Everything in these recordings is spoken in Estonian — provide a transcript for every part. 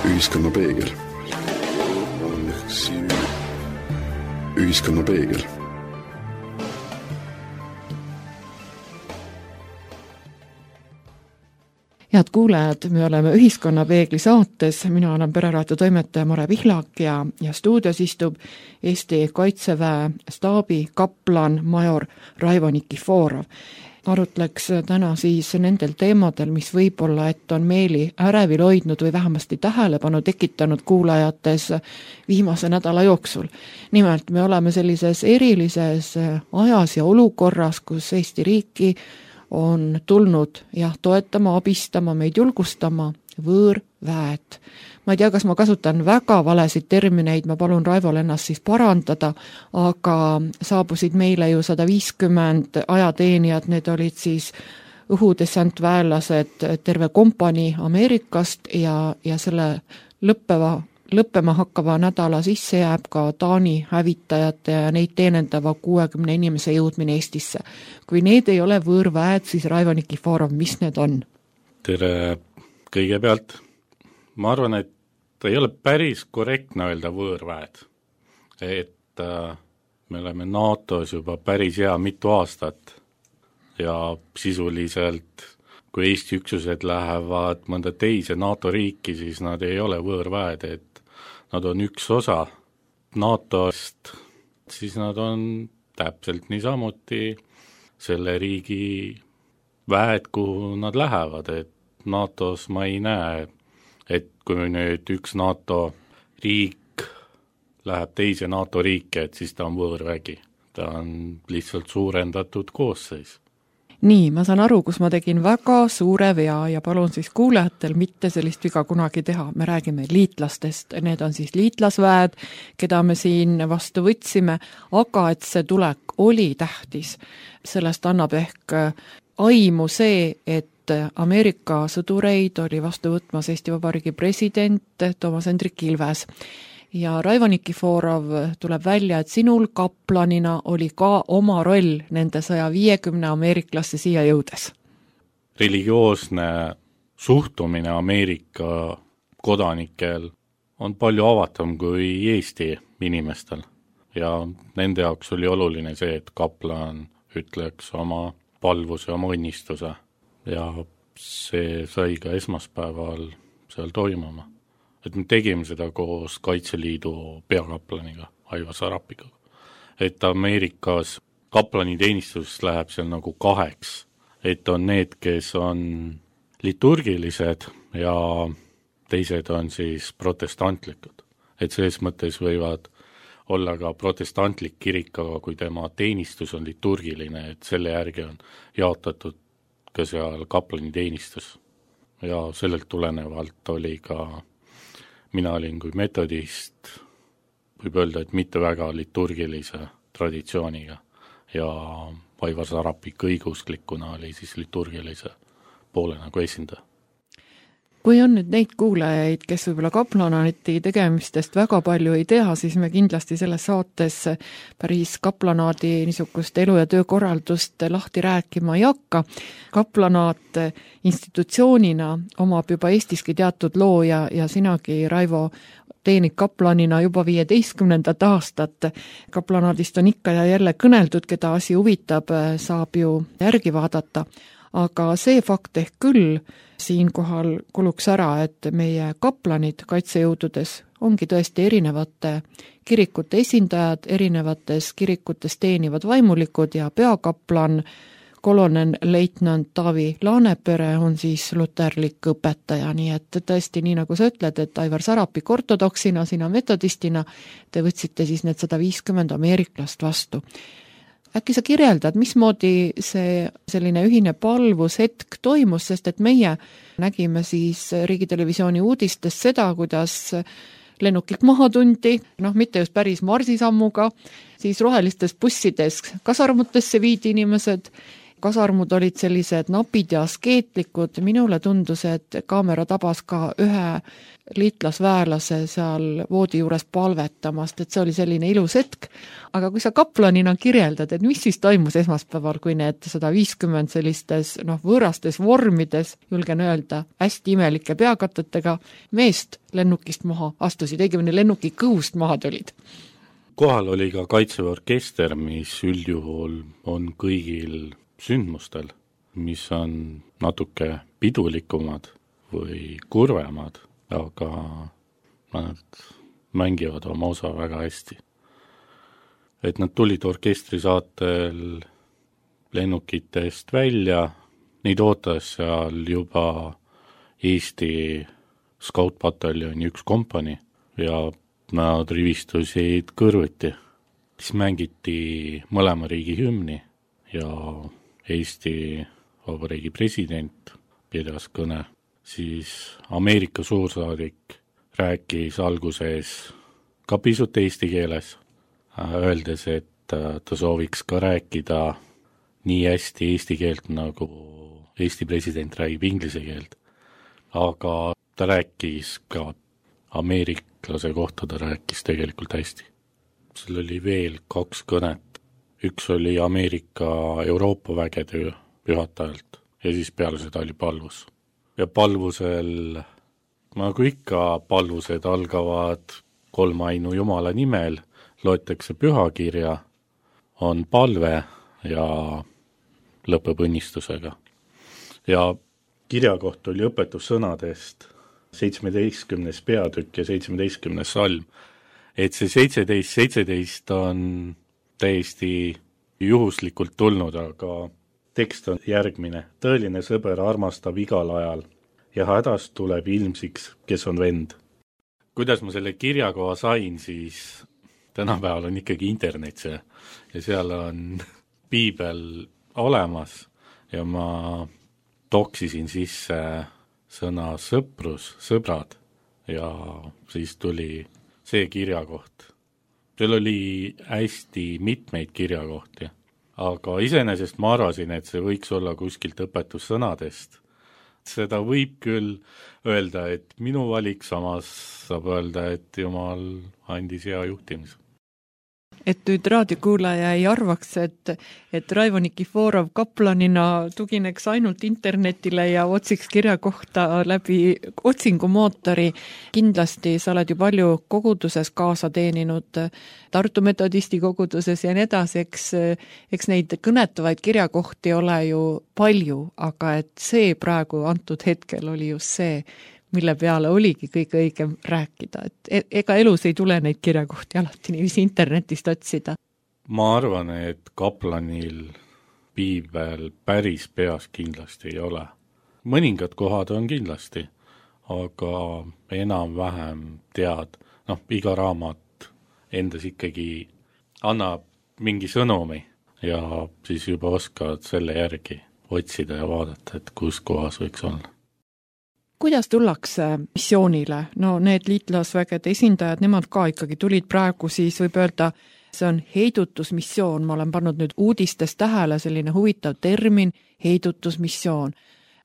Ühiskonna peegel. Ühiskonna peegel. Head kuulajad, me oleme Ühiskonna peegli saates, mina olen Pereraadio toimetaja Mare Pihlak ja stuudios istub Eesti Kaitseväe staabi kaplan major Raivo Nikiforov. Arutleks täna siis nendel teemadel, mis võib-olla, et on meeli ärevil hoidnud või vähemasti tähelepanu tekitanud kuulajates viimase nädala jooksul. Nimelt me oleme sellises erilises ajas ja olukorras, kus Eesti riiki on tulnud toetama, abistama, meid julgustama võõrväed. Ma ei tea, kas ma kasutan väga valesid termineid, ma palun Raivol ennast siis parandada, aga saabusid meile ju 150 ajateenijad, need olid siis õhudessantväelased, terve kompanii Ameerikast ja selle lõppema hakkava nädala sisse jääb ka Taani hävitajate ja neid teenendava 60 inimese jõudmine Eestisse. Kui need ei ole võõrväed, siis Raivo Nikiforov, mis need on? Tere kõigepealt. Ma arvan, et ei ole päris korrektne öelda võõrväed. Et me oleme NATO-s juba päris mitu aastat ja sisuliselt kui Eesti üksused lähevad mõnda teise NATO riiki, siis nad ei ole võõrväed, et nad on üks osa NATO-st, siis nad on täpselt niisamuti selle riigi väed, kuhu nad lähevad, et NATO-s ma ei näe, et kui nüüd üks NATO riik läheb teise NATO riiki, et siis ta on võõrvägi. Ta on lihtsalt suurendatud koosseis. Nii, ma saan aru, kus ma tegin väga suure vea ja palun siis kuulajatel mitte sellist viga kunagi teha. Me räägime liitlastest, need on siis liitlasväed, keda me siin vastu võtsime, aga et see tulek oli tähtis. Sellest annab ehk aimu see, et Ameerika sõdureid oli vastu võtmas Eesti Vabariigi president Toomas Hendrik Ilves. Ja Raivo Nikiforov, tuleb välja, et sinul kaplanina oli ka oma roll nende 150 ameeriklasse siia jõudes. Religioosne suhtumine Ameerika kodanikel on palju avatum kui Eesti inimestel ja nende jaoks oli oluline see, et kaplan ütleks oma palvuse, oma õnnistuse ja see sai ka esmaspäeval seal toimuma. Et me tegime seda koos Kaitseliidu peakaplaniga, Aivar Sarapiga. Et Ameerikas kaplaniteenistus läheb seal nagu kaheks, et on need, kes on liturgilised ja teised on siis protestantlikud. Et selles mõttes võivad olla ka protestantlik kirik, aga kui tema teenistus on liturgiline, et selle järgi on jaotatud ka seal kaplaniteenistus. Ja sellelt tulenevalt oli ka mina olin kui metodist, võib öelda, et mitte väga liturgilise traditsiooniga ja Aivar Sarapik õigusklikuna oli siis liturgilise poole nagu esindaja. Kui on nüüd neid kuulajaid, kes võib-olla kaplanati tegemistest väga palju ei tea, siis me kindlasti selles saates päris kaplanaadi niisugust elu- ja töökorraldust lahti rääkima ei hakka. Kaplanaat institutsioonina omab juba Eestiski teatud loo ja sinagi, Raivo, teenid kaplanina juba 15. aastat. Kaplanaadist on ikka ja jälle kõneldud, keda asi huvitab, saab ju järgi vaadata. Aga see fakt ehk küll siinkohal kuluks ära, et meie kaplanid kaitsejõududes ongi tõesti erinevate kirikute esindajad, erinevates kirikutes teenivad vaimulikud ja peakaplan, kolonel leitnant Taavi Laanepere on siis luterlik õpetaja, nii et tõesti nii nagu sa ütled, et Aivar Sarapik ortodoksina, sina metodistina, te võtsite siis need 150 ameeriklast vastu. Äkki sa kirjeldad, mismoodi see selline ühine palvushetk toimus, sest et meie nägime siis Riigitelevisiooni uudistest seda, kuidas lennukilt maha tundi, mitte just päris marsisammuga, siis rohelistes bussides kasarmutesse viidi inimesed kasarmud olid sellised napid ja askeetlikud, minule tundus, et kaamera tabas ka ühe liitlasväelase seal voodi juures palvetamast, et see oli selline ilus hetk, aga kui sa kaplanina kirjeldad, et mis siis toimus esmaspäeval, kui need 150 sellistes võõrastes vormides, julgen öelda, hästi imelike peakatetega meest lennukist maha astusid, õigemini lennuki kõhust maha tulid? Kohal oli ka Kaitseväe orkester, mis üldjuhul on kõigil sündmustel, mis on natuke pidulikumad või kurvemad, aga nad mängivad oma osa väga hästi. Et nad tulid orkestri saatel lennukitest välja, neid ootas seal juba Eesti skautpataljoni 1 kompanii ja nad rivistusid kõrvuti. Siis mängiti mõlema riigi hümni ja Eesti Vabariigi president pidas kõne. Siis Ameerika suursaadik rääkis alguses ka pisut eesti keeles, öeldes, et ta sooviks ka rääkida nii hästi eesti keelt, nagu Eesti president räägib inglise keelt. Aga ta rääkis ka ameeriklase kohta, ta rääkis tegelikult hästi. Seal oli veel 2 kõnet. Üks oli Ameerika Euroopa vägede juhatajalt ja siis peale seda oli palvus. Ja palvusel, nagu ikka, palvused algavad 3 ainu Jumala nimel, loetakse pühakirja, on palve ja lõpeb õnnistusega. Ja kirjakoht oli õpetussõnadest 17. peatükk ja 17. salm. Et see 17 on täiesti juhuslikult tulnud, aga tekst on järgmine. Tõeline sõber armastab igal ajal ja hädast tuleb ilmsiks, kes on vend. Kuidas ma selle kirjakoha sain, siis tänapäeval on ikkagi internet see ja seal on piibel olemas ja ma toksisin sisse sõna sõprus, sõbrad ja siis tuli see kirjakoht. Seal oli hästi mitmeid kirjakohti, aga iseenesest ma arvasin, et see võiks olla kuskilt õpetussõnadest. Seda võib küll öelda, et minu valik, samas saab öelda, et Jumal andis hea juhtimise. Et nüüd raadiokuulaja ei arvaks, et Raivo Nikiforov kaplanina tugineks ainult internetile ja otsiks kirja kohta läbi otsingumootori. Kindlasti sa oled ju palju koguduses kaasa teeninud, Tartu metodisti koguduses ja nii edasi, eks neid kõnetavaid kirjakohti ole ju palju, aga et see praegu antud hetkel oli just see, mille peale oligi kõige õigem rääkida. Et ega elus ei tule neid kirjakohti alati niiviisi internetist otsida. Ma arvan, et kaplanil piibel päris peas kindlasti ei ole. Mõningad kohad on kindlasti, aga enam-vähem tead, iga raamat endas ikkagi annab mingi sõnumi ja siis juba oskad selle järgi otsida ja vaadata, et kus kohas võiks olla. Kuidas tullakse missioonile? Need liitlasvägede esindajad, nemad ka ikkagi tulid praegu, siis võib öelda, see on heidutusmissioon. Ma olen pannud nüüd uudistes tähele selline huvitav termin, heidutusmissioon.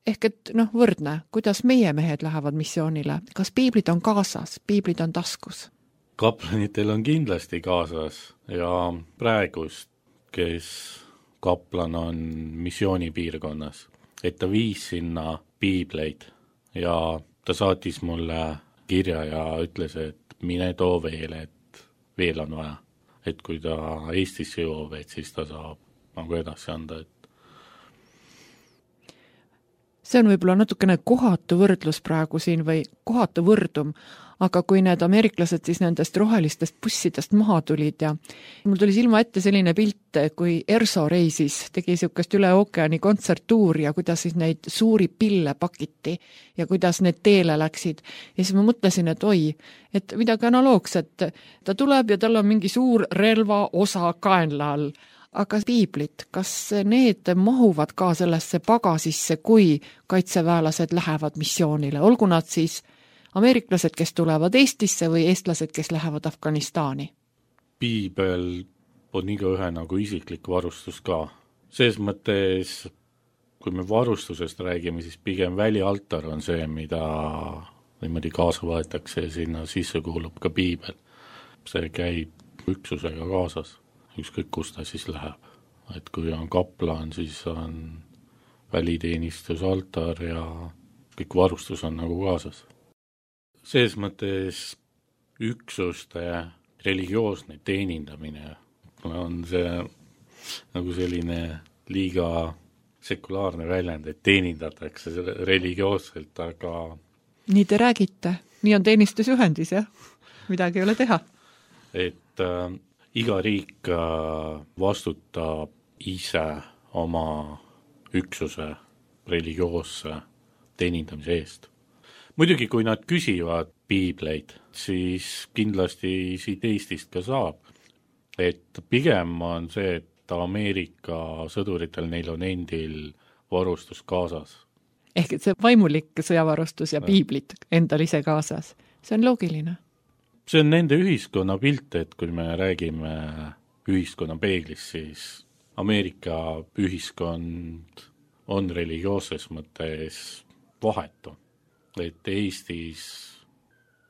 Ehk et võrdne, kuidas meie mehed lähevad missioonile? Kas piiblid on kaasas, piiblid on taskus? Kaplanitel on kindlasti kaasas ja praegust, kes kaplan on missioonipiirkonnas, et ta viis sinna piibleid. Ja ta saatis mulle kirja ja ütles, et mine too veel, et veel on vaja. Et kui ta Eestisse jõuab, et siis ta saab edasi anda. See on võib-olla natukene kohatu võrdlus praegu siin või kohatu võrdum, aga kui need ameeriklased siis nendest rohelistest bussidest maha tulid ja mul tuli silma ette selline pilt, kui Erso reisis, tegi niisugust üle ookeani kontserttuuri ja kuidas siis neid suuri pille pakiti ja kuidas need teele läksid. Ja siis ma mõtlesin, et et midagi analoogset, ta tuleb ja tal on mingi suur relva osa kaenla all. Aga piiblit, kas need mahuvad ka sellesse pagasisse, kui kaitseväelased lähevad missioonile? Olgu nad siis ameeriklased, kes tulevad Eestisse või eestlased, kes lähevad Afganistani? Piibel on igaühe nagu isiklik varustus ka. Selles mõttes, kui me varustusest räägime, siis pigem välialtar on see, mida niimoodi kaasa võetakse ja sinna sisse kuulub ka piibel. See käib üksusega kaasas, ükskõik kus ta siis läheb. Et kui on kaplan, siis on väliteenistus, altar ja kõik varustus on nagu kaasas. Selles mõttes üksuste religioosne teenindamine on see nagu selline liiga sekulaarne väljend, et teenindatakse religioosselt, aga nii te räägite, nii on teenistusjuhendis, jah? Midagi ei ole teha. Et iga riik vastutab ise oma üksuse religioosse teenindamise eest. Muidugi, kui nad küsivad piibleid, siis kindlasti siit Eestist ka saab. Et pigem on see, et Ameerika sõduritel neil on endil varustus kaasas. Ehk et see vaimulik sõjavarustus ja piiblit endal ise kaasas. See on loogiline. See on nende ühiskonna pilt, et kui me räägime ühiskonna peeglist, siis Ameerika ühiskond on religioosses mõttes vahetu. Et Eestis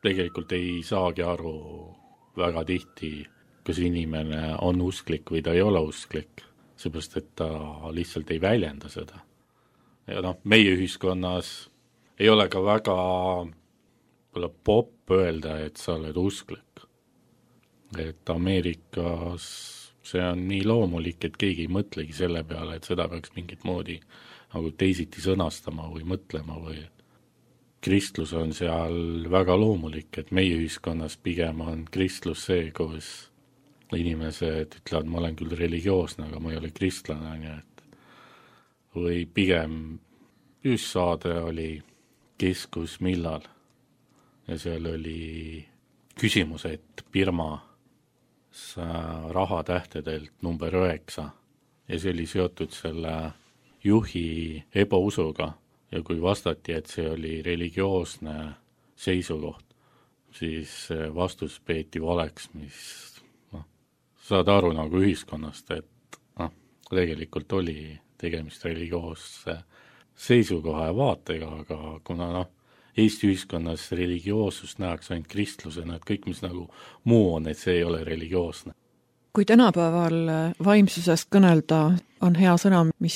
tegelikult ei saagi aru väga tihti, kas inimene on usklik või ta ei ole usklik, seepärast et ta lihtsalt ei väljenda seda. Ja meie ühiskonnas ei ole ka väga popp öelda, et sa oled usklik. Et Ameerikas see on nii loomulik, et keegi ei mõtlegi selle peale, et seda peaks mingit moodi nagu teisiti sõnastama või mõtlema või kristlus on seal väga loomulik, et meie ühiskonnas pigem on kristlus see, kus inimesed ütlevad, ma olen küll religioosne, aga ma ei ole kristlane, nii et või pigem just saade oli Keskus millal ja seal oli küsimus, et Birma rahatähtedelt number 9 ja see oli seotud selle juhi ebausuga ja kui vastati, et see oli religioosne seisukoht, siis vastus peeti valeks, mis saad aru nagu ühiskonnast, et tegelikult oli tegemist religioosse seisukoha ja vaatega, aga kuna Eesti ühiskonnas religioossust nähakse ainult kristlusena, et kõik, mis nagu muu on, et see ei ole religioosne. Kui tänapäeval vaimsusest kõnelda, on hea sõna, mis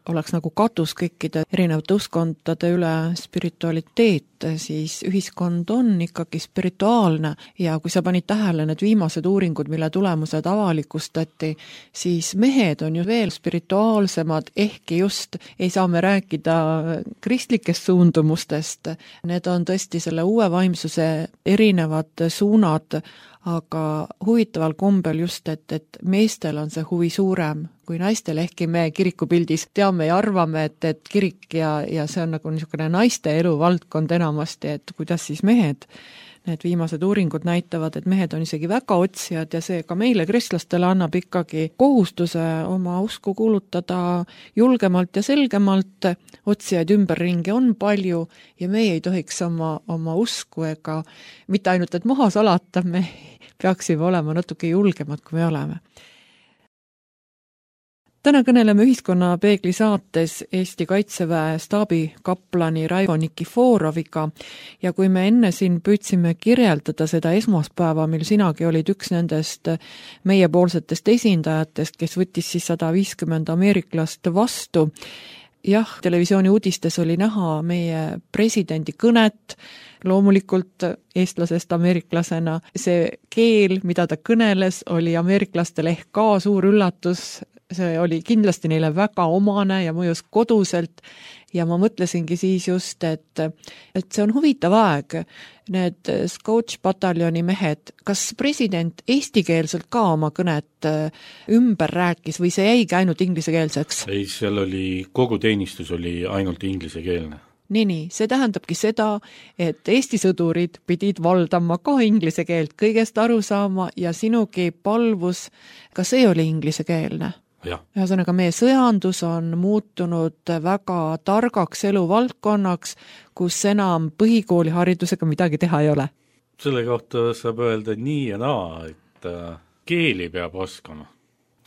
oleks nagu katus kõikide erinevate uskondade üle spiritualiteet, siis ühiskond on ikkagi spirituaalne ja kui sa panid tähele need viimased uuringud, mille tulemused avalikustati, siis mehed on ju veel spirituaalsemad, ehkki just ei saa me rääkida kristlikest suundumustest. Need on tõesti selle uue vaimsuse erinevad suunad, aga huvitaval kombel just, et meestel on see huvi suurem kui naistel, ehkki me kirikupildis teame ja arvame, et kirik ja see on nagu niisugune naiste eluvaldkond enamasti, et kuidas siis mehed. Need viimased uuringud näitavad, et mehed on isegi väga otsijad ja see ka meile kristlastele annab ikkagi kohustuse oma usku kuulutada julgemalt ja selgemalt. Otsijaid ümberringi on palju ja meie ei tohiks oma usku ega mitte ainult, et maha salata, me peaksime olema natuke julgemad, kui me oleme. Täna kõneleme Ühiskonnapeegli saates Eesti Kaitseväe staabikaplani Raivo Nikiforoviga ja kui me enne siin püüdsime kirjeldada seda esmaspäeva, mil sinagi olid üks nendest meiepoolsetest esindajatest, kes võttis siis 150 ameeriklast vastu, jah, televisiooni uudistes oli näha meie presidendi kõnet, loomulikult eestlasest ameeriklasena. See keel, mida ta kõneles, oli ameeriklastele ehk ka suur üllatus. See oli kindlasti neile väga omane ja mõjus koduselt ja ma mõtlesingi siis just, et see on huvitav aeg. Need Scouts-pataljoni mehed, kas president eestikeelselt ka oma kõnet ümber rääkis või see jäigi ainult inglisekeelseks? Ei, seal oli, kogu teenistus oli ainult inglisekeelne. Nii, see tähendabki seda, et Eesti sõdurid pidid valdama ka inglise keelt, kõigest aru saama ja sinugi palvus, ka see oli inglisekeelne. Ühesõnaga, meie sõjandus on muutunud väga targaks eluvaldkonnaks, kus enam põhikooliharidusega midagi teha ei ole. Selle kohta saab öelda nii ja naa, et keeli peab oskama.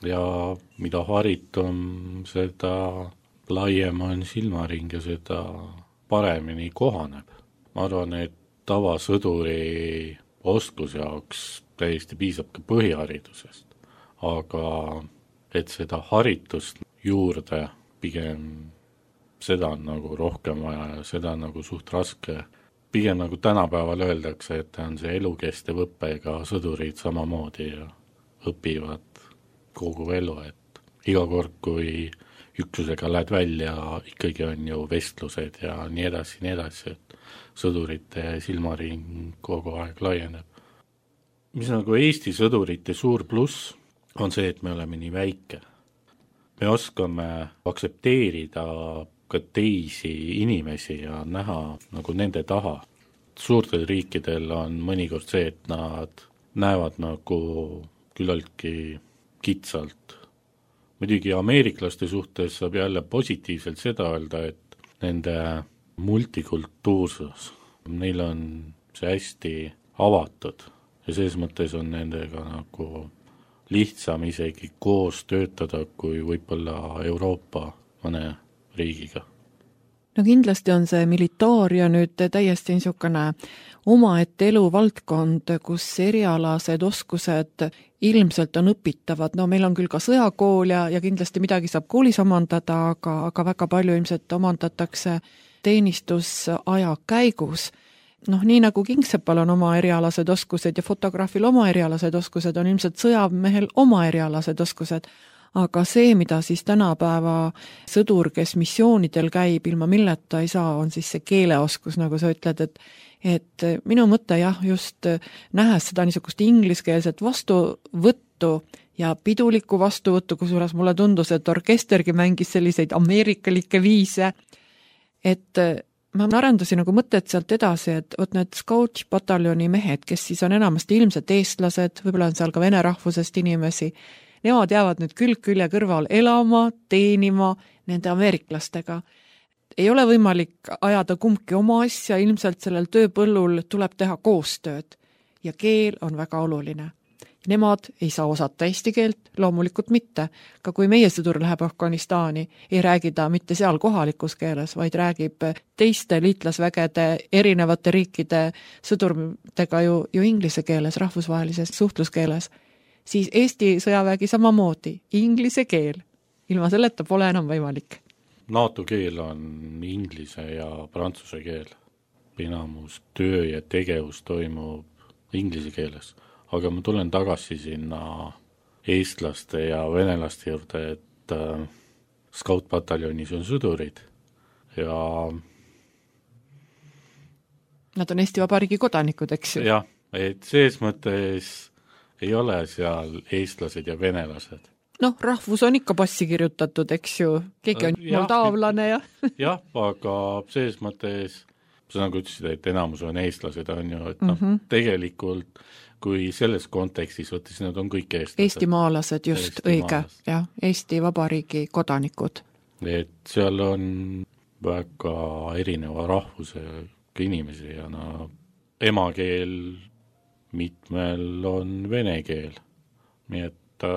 ja mida haritum, seda laiem on silmaring ja seda paremini kohaneb. Ma arvan, et tavasõduri oskuse jaoks täiesti piisab ka põhiharidusest, aga et seda haritust juurde pigem seda on nagu rohkem vaja ja seda on nagu suht raske. Pigem nagu tänapäeval öeldakse, et on see elukestev õpe, ega sõdurid samamoodi ja õpivad kogu elu, et iga kord, kui üksusega lähed välja, ikkagi on ju vestlused ja nii edasi, et sõdurite silmaring kogu aeg laieneb. Mis nagu Eesti sõdurite suur pluss on see, et me oleme nii väike. Me oskame aktsepteerida ka teisi inimesi ja näha nagu nende taha. Suurtel riikidel on mõnikord see, et nad näevad nagu küllaltki kitsalt. Muidugi ameeriklaste suhtes saab jälle positiivselt seda öelda, et nende multikultuursus, neil on see hästi avatud ja selles mõttes on nendega nagu lihtsam isegi koos töötada kui võib-olla Euroopa mõne riigiga. No kindlasti on see militaaria nüüd täiesti niisugune omaette eluvaldkond, kus erialased oskused ilmselt on õpitavad. No meil on küll ka sõjakool ja kindlasti midagi saab koolis omandada, aga väga palju ilmselt omandatakse teenistusaja käigus. Nii nagu Kingsepal on oma erialased oskused ja fotograafil oma erialased oskused, on ilmselt sõjamehel oma erialased oskused. Aga see, mida siis tänapäeva sõdur, kes missioonidel käib, ilma milleta ei saa, on siis see keeleoskus, nagu sa ütled, et minu mõte just nähes seda niisugust ingliskeelset vastuvõttu ja pidulikku vastuvõttu, kusjuures mulle tundus, et orkestergi mängis selliseid ameerikalikke viise, et ma arendasin nagu mõtet sealt edasi, et need Scout-pataljoni mehed, kes siis on enamasti ilmselt eestlased, võib-olla on seal ka vene rahvusest inimesi, nemad jäävad nüüd külg-külje kõrval elama, teenima nende ameeriklastega. Ei ole võimalik ajada kumbki oma asja, ilmselt sellel tööpõllul tuleb teha koostööd ja keel on väga oluline. Nemad ei saa osata eesti keelt, loomulikult mitte. Ka kui meie sõdur läheb Afganistani, ei räägi ta mitte seal kohalikus keeles, vaid räägib teiste liitlasvägede erinevate riikide sõdurtega ju inglise keeles, rahvusvahelises suhtluskeeles. Siis Eesti sõjavägi samamoodi, inglise keel. Ilma selleta pole enam võimalik. NATO keel on inglise ja prantsuse keel. Enamus töö ja tegevus toimub inglise keeles. Aga ma tulen tagasi sinna eestlaste ja venelaste juurde, et Scout-pataljonis on sõdurid ja nad on Eesti Vabariigi kodanikud, eks ju? Jah, et selles mõttes ei ole seal eestlased ja venelased. Rahvus on ikka passi kirjutatud, eks ju, keegi on moldaavlane ja jah, aga selles mõttes sa nagu ütlesid, et enamus on eestlased, on ju, et tegelikult kui selles kontekstis võttes, nad on kõik eestlased. Eestimaalased, just, õige, jah, Eesti Vabariigi kodanikud. Et seal on väga erineva rahvusega inimesi ja emakeel mitmel on vene keel. Nii et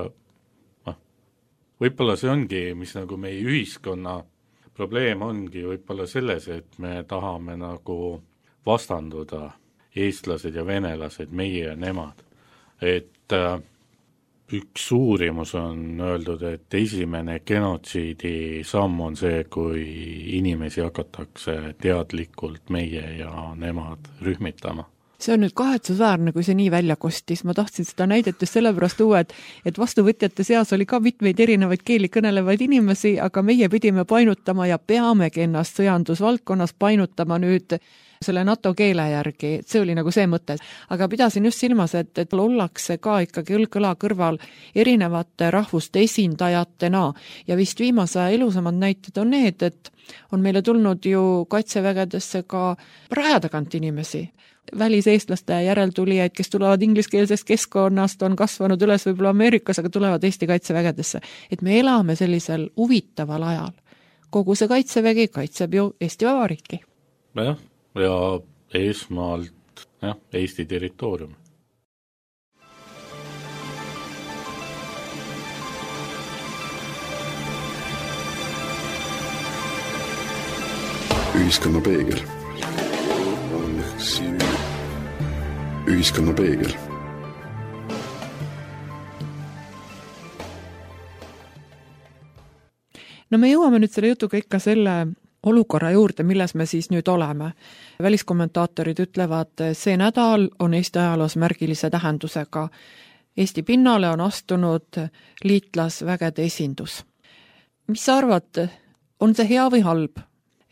võib-olla see ongi, mis nagu meie ühiskonna probleem ongi võib-olla selles, et me tahame nagu vastanduda eestlased ja venelased, meie ja nemad. Et üks uurimus on öeldud, et esimene genotsiidi samm on see, kui inimesi hakatakse teadlikult meie ja nemad rühmitama. See on nüüd kahetsusväärne, kui see nii välja kostis. Ma tahtsin seda näidet just sellepärast tuua, et vastuvõtjate seas oli ka mitmeid erinevaid keeli kõnelevaid inimesi, aga meie pidime painutama ja peamegi ennast sõjandusvaldkonnas painutama nüüd selle NATO keele järgi, see oli nagu see mõte. Aga pidasin just silmas, et ollakse ka ikkagi õlg-õla kõrval erinevate rahvuste esindajatena ja vist viimase elusamad näited on need, et on meile tulnud ju kaitsevägedesse ka raja tagant inimesi. Väliseestlaste järeltulijaid, kes tulevad ingliskeelsest keskkonnast, on kasvanud üles võib-olla Ameerikas, aga tulevad Eesti kaitsevägedesse. Et me elame sellisel huvitaval ajal. Kogu see kaitsevägi kaitseb ju Eesti Vabariiki. Ja esmalt Eesti territoorium. Ühiskonna peegel. Ühiskonna peegel. No me jõuame nüüd selle jutuga ikka selle olukorra juurde, milles me siis nüüd oleme. Väliskommentaatorid ütlevad, see nädal on Eesti ajaloos märgilise tähendusega. Eesti pinnale on astunud liitlasvägede esindus. Mis sa arvad, on see hea või halb?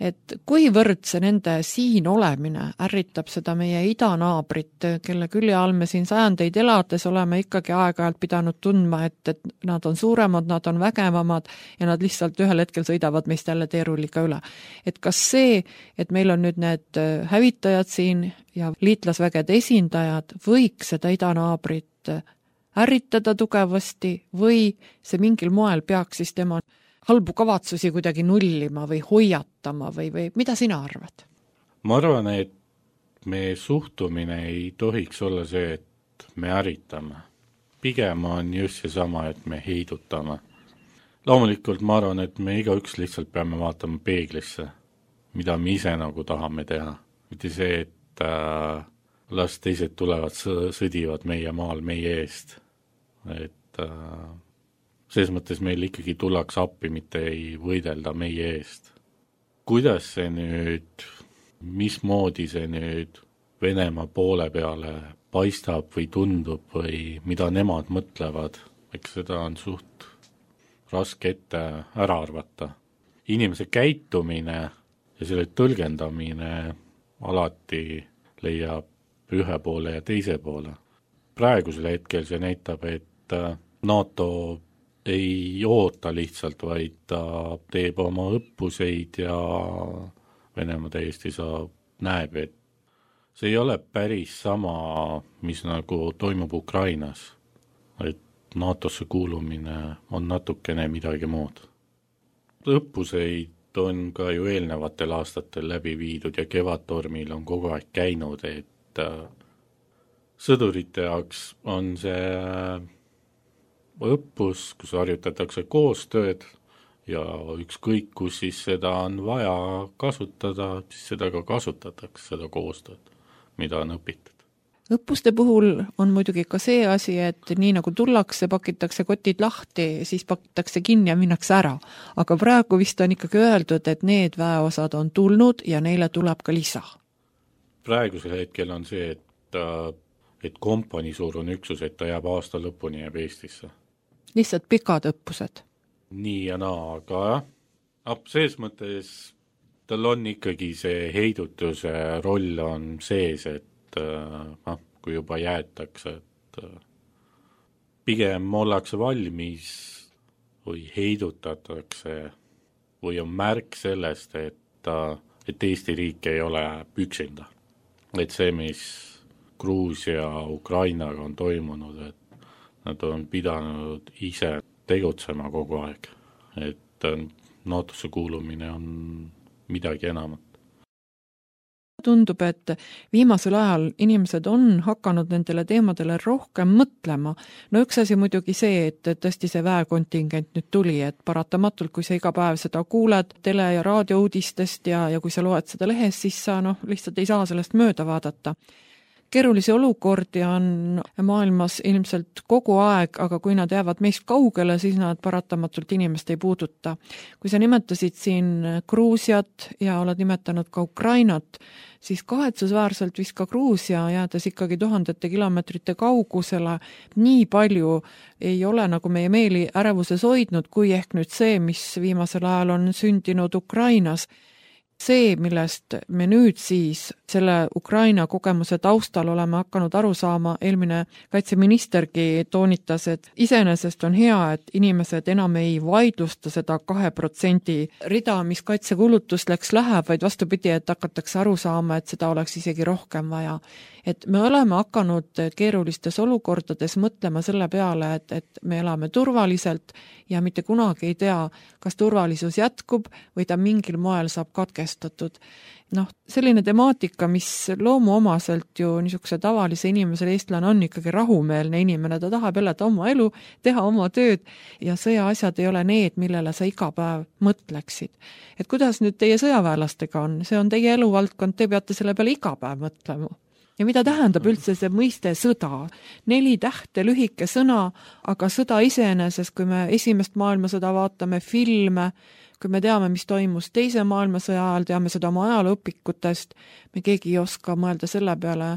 Et kuivõrd see nende siin olemine ärritab seda meie idanaabrit, kelle külje all me siin sajandeid elades oleme ikkagi aeg-ajalt pidanud tundma, et nad on suuremad, nad on vägevamad ja nad lihtsalt ühel hetkel sõidavad meist jälle teerulliga üle. Et kas see, et meil on nüüd need hävitajad siin ja liitlasvägede esindajad, võiks seda idanaabrit ärritada tugevasti või see mingil moel peaks siis tema halbu kavatsusi kuidagi nullima või hoiatama või mida sina arvad? Ma arvan, et meie suhtumine ei tohiks olla see, et me ärritame. Pigem on just seesama, et me heidutame. Loomulikult ma arvan, et me igaüks lihtsalt peame vaatama peeglisse, mida me ise nagu tahame teha. Mitte see, et las teised tulevad, sõdivad meie maal meie eest. Et selles mõttes meil ikkagi tullaks appi, mitte ei võidelda meie eest. Kuidas see nüüd, mismoodi see nüüd Venemaa poole peale paistab või tundub või mida nemad mõtlevad, eks seda on suht raske ette ära arvata. Inimese käitumine ja selle tõlgendamine alati leiab ühe poole ja teise poole. Praegusel hetkel see näitab, et NATO ei oota lihtsalt, vaid ta teeb oma õppuseid ja Venemaa täiesti näeb, et see ei ole päris sama, mis nagu toimub Ukrainas, et NATOsse kuulumine on natukene midagi muud. Õppuseid on ka ju eelnevatel aastatel läbi viidud ja Kevadtormil on kogu aeg käinud, et sõdurite jaoks on see õppus, kus harjutatakse koostööd ja ükskõik, kus siis seda on vaja kasutada, siis seda ka kasutatakse, seda koostööd, mida on õpitud. Õppuste puhul on muidugi ka see asi, et nii nagu tullakse, pakitakse kotid lahti, siis pakitakse kinni ja minnakse ära. Aga praegu vist on ikkagi öeldud, et need väeosad on tulnud ja neile tuleb ka lisa. Praegusel hetkel on see, et kompanii suurune üksus, et ta jääb aasta lõpuni jääb Eestisse. Lihtsalt pikad õppused. Nii ja naa, aga selles mõttes tal on ikkagi see heidutuse roll on sees, et kui juba jäetakse, et pigem ollakse valmis või heidutatakse või on märk sellest, et Eesti riik ei ole üksinda. Et see, mis Gruusia, Ukrainaga on toimunud, et nad on pidanud ise tegutsema kogu aeg, et NATOsse kuulumine on midagi enamat. Tundub, et viimasel ajal inimesed on hakanud nendele teemadele rohkem mõtlema. No üks asi muidugi see, et tõesti see väekontingent nüüd tuli, et paratamatult, kui sa iga päev seda kuuled tele- ja raadiouudistest ja kui sa loed seda lehes, siis sa lihtsalt ei saa sellest mööda vaadata. Keerulisi olukordi on maailmas ilmselt kogu aeg, aga kui nad jäävad meist kaugele, siis nad paratamatult inimest ei puuduta. Kui sa nimetasid siin Gruusiat ja oled nimetanud ka Ukrainat, siis kahetsusväärselt vist ka Gruusia jäädes ikkagi tuhandete kilomeetrite kaugusele nii palju ei ole nagu meie meeli ärevuses hoidnud, kui ehk nüüd see, mis viimasel ajal on sündinud Ukrainas. See, millest me nüüd siis selle Ukraina kogemuse taustal oleme hakanud aru saama, eelmine kaitseministergi toonitas, et iseenesest on hea, et inimesed enam ei vaidlusta seda 2% rida, mis kaitsekulutusteks läheb, vaid vastupidi, et hakatakse aru saama, et seda oleks isegi rohkem vaja. et me oleme hakanud keerulistes olukordades mõtlema selle peale, et me elame turvaliselt ja mitte kunagi ei tea, kas turvalisus jätkub või ta mingil moel saab katkestatud. Selline temaatika, mis loomuomaselt ju niisuguse tavalise inimesele eestlane on ikkagi rahumeelne inimene, ta tahab elada oma elu, teha oma tööd ja sõjaasjad ei ole need, millele sa iga päev mõtleksid. Et kuidas nüüd teie sõjaväelastega on? See on teie eluvaldkond, te peate selle peale iga päev mõtlema. Ja mida tähendab üldse see mõiste sõda? 4 tähte, lühike sõna, aga sõda iseenesest, kui me esimest maailmasõda vaatame filme, kui me teame, mis toimus teise maailmasõja ajal, teame seda oma ajalooõpikutest, me keegi ei oska mõelda selle peale,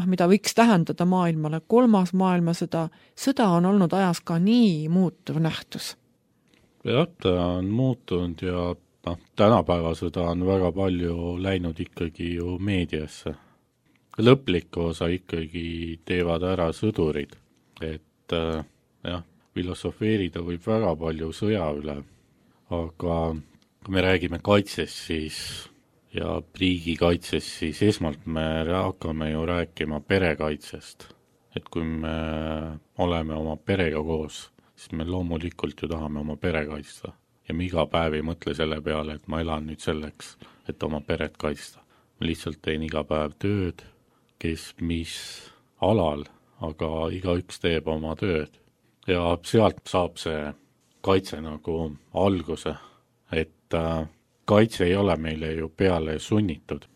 mida võiks tähendada maailmale. 3. maailmasõda, sõda on olnud ajas ka nii muutuv nähtus. Jah, ta on muutunud ja tänapäeva sõda on väga palju läinud ikkagi ju meediasse. Lõpliku osa ikkagi teevad ära sõdurid, et filosofeerida võib väga palju sõja üle, aga kui me räägime kaitsest siis ja riigikaitsest, siis esmalt me hakkame ju rääkima perekaitsest. Et kui me oleme oma perega koos, siis me loomulikult ju tahame oma pere kaitsta. Ja me iga päev ei mõtle selle peale, et ma elan nüüd selleks, et oma peret kaitsta. Ma lihtsalt teen iga päev tööd, kes mis alal, aga igaüks teeb oma tööd. Ja sealt saab see kaitse nagu alguse, et kaitse ei ole meile ju peale sunnitud,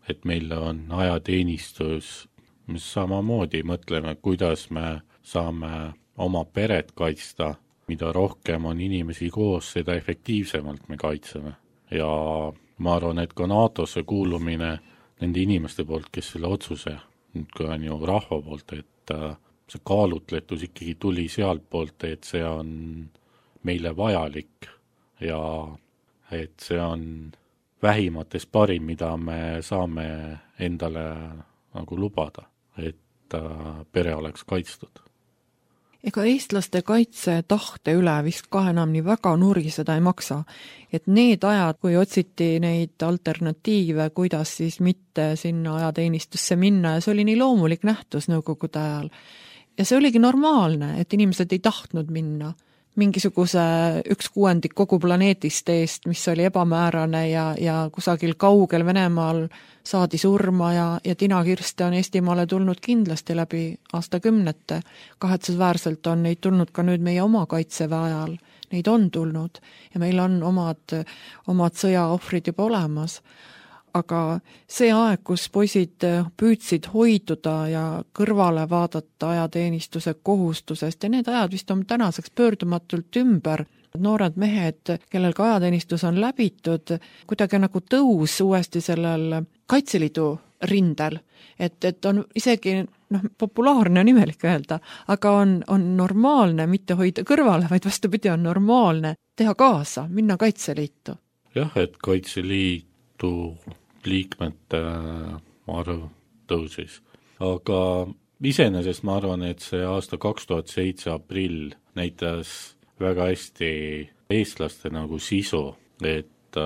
et meil on ajateenistus, mis samamoodi mõtleme, kuidas me saame oma peret kaitsta, mida rohkem on inimesi koos, seda efektiivsemalt me kaitseme. Ja ma arvan, et ka NATO-sse kuulumine nende inimeste poolt, kes selle otsuse, kui on ju rahva poolt, et see kaalutletus ikkagi tuli sealt poolt, et see on meile vajalik ja et see on vähimates parim, mida me saame endale nagu lubada, et pere oleks kaitstud. Ega eestlaste kaitse tahte üle vist ka enam nii väga nuriseda ei maksa, et need ajad, kui otsiti neid alternatiive, kuidas siis mitte sinna ajateenistusse minna ja see oli nii loomulik nähtus nõukogude ajal. Ja see oligi normaalne, et inimesed ei tahtnud minna mingisuguse 1/6 kogu planeetist eest, mis oli ebamäärane ja kusagil kaugel Venemaal saadi surma ja tinakirste on Eestimaale tulnud kindlasti läbi aastakümnete. Kahetsusväärselt on neid tulnud ka nüüd meie oma kaitseväe ajal. Neid on tulnud ja meil on omad sõjaohvrid juba olemas. Aga see aeg, kus poisid püüdsid hoiduda ja kõrvale vaadata ajateenistuse kohustusest ja need ajad vist on tänaseks pöördumatult ümber. Noored mehed, kellel ka ajateenistus on läbitud, kuidagi nagu tõus uuesti sellel Kaitseliidu rindel, et on isegi populaarne on imelik öelda, aga on normaalne mitte hoida kõrvale, vaid vastupidi on normaalne teha kaasa, minna Kaitseliitu. Jah, et Kaitseliitu liikmete arv tõusis. Aga iseenesest ma arvan, et see aasta 2007 aprill näitas väga hästi eestlaste nagu sisu, et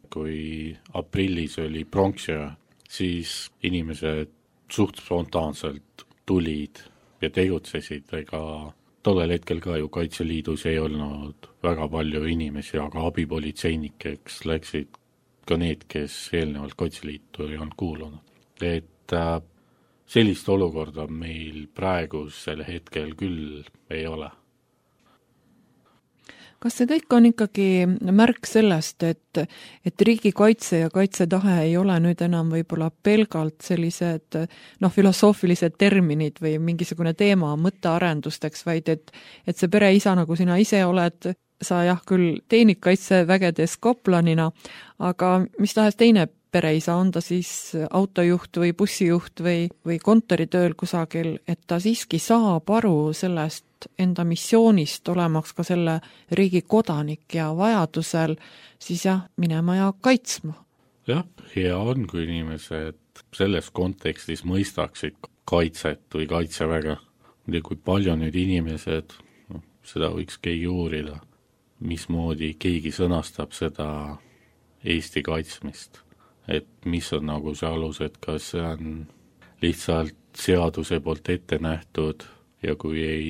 kui aprillis oli pronksiöö, siis inimesed suht spontaanselt tulid ja tegutsesid, ega tollel hetkel ka ju Kaitseliidus ei olnud väga palju inimesi, aga abipolitseinikeks läksid ka need, kes eelnevalt Kaitseliitu ei olnud kuulunud. Et sellist olukorda meil praegusel hetkel küll ei ole. Kas see kõik on ikkagi märk sellest, et riigikaitse ja kaitsetahe ei ole nüüd enam võib-olla pelgalt sellised filosoofilised terminid või mingisugune teema mõttearendusteks, vaid et see pereisa, nagu sina ise oled, sa jah küll teenid kaitsevägedes kaplanina, aga mis tahes teine pereisa, on ta siis autojuht või bussijuht või kontoritööl kusagil, et ta siiski saab aru sellest enda missioonist, olemaks ka selle riigi kodanik ja vajadusel siis minema ja kaitsma. Jah, hea on, kui inimesed selles kontekstis mõistaksid kaitset või kaitseväge. Kui palju nüüd inimesed, seda võiks keegi uurida, mismoodi keegi sõnastab seda Eesti kaitsmist. Et mis on nagu see alus, et kas see on lihtsalt seaduse poolt ette nähtud ja kui ei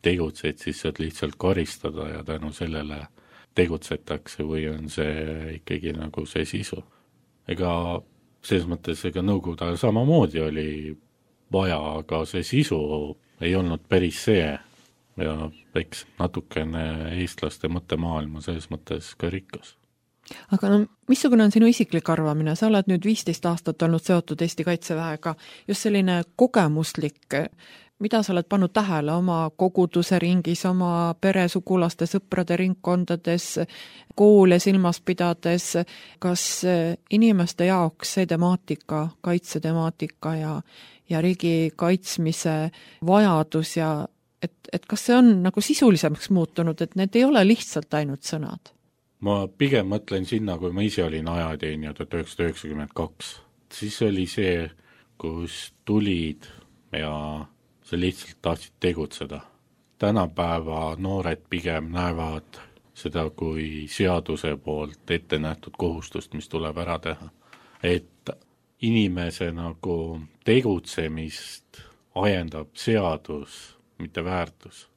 tegutsed, siis saad lihtsalt karistada ja tänu sellele tegutsetakse või on see ikkagi nagu see sisu. Ega selles mõttes, ega Nõukogude ajal samamoodi oli vaja, aga see sisu ei olnud päris see ja eks natukene eestlaste mõttemaailma selles mõttes ka rikkas. Aga no, missugune on sinu isiklik arvamine? Sa oled nüüd 15 aastat olnud seotud Eesti Kaitseväega, just selline kogemuslik, mida sa oled pannud tähele oma koguduse ringis, oma pere, sugulaste, sõprade ringkondades, koole silmas pidades, kas inimeste jaoks see temaatika, kaitsetemaatika ja riigi kaitsmise vajadus ja et kas see on nagu sisulisemaks muutunud, et need ei ole lihtsalt ainult sõnad? Ma pigem mõtlen sinna, kui ma ise olin ajateenija 1992. Siis oli see, kus tulid ja sa lihtsalt tahtsid tegutseda. Tänapäeva noored pigem näevad seda kui seaduse poolt ette nähtud kohustust, mis tuleb ära teha. Et inimese nagu tegutsemist ajendab seadus, mitte väärtus.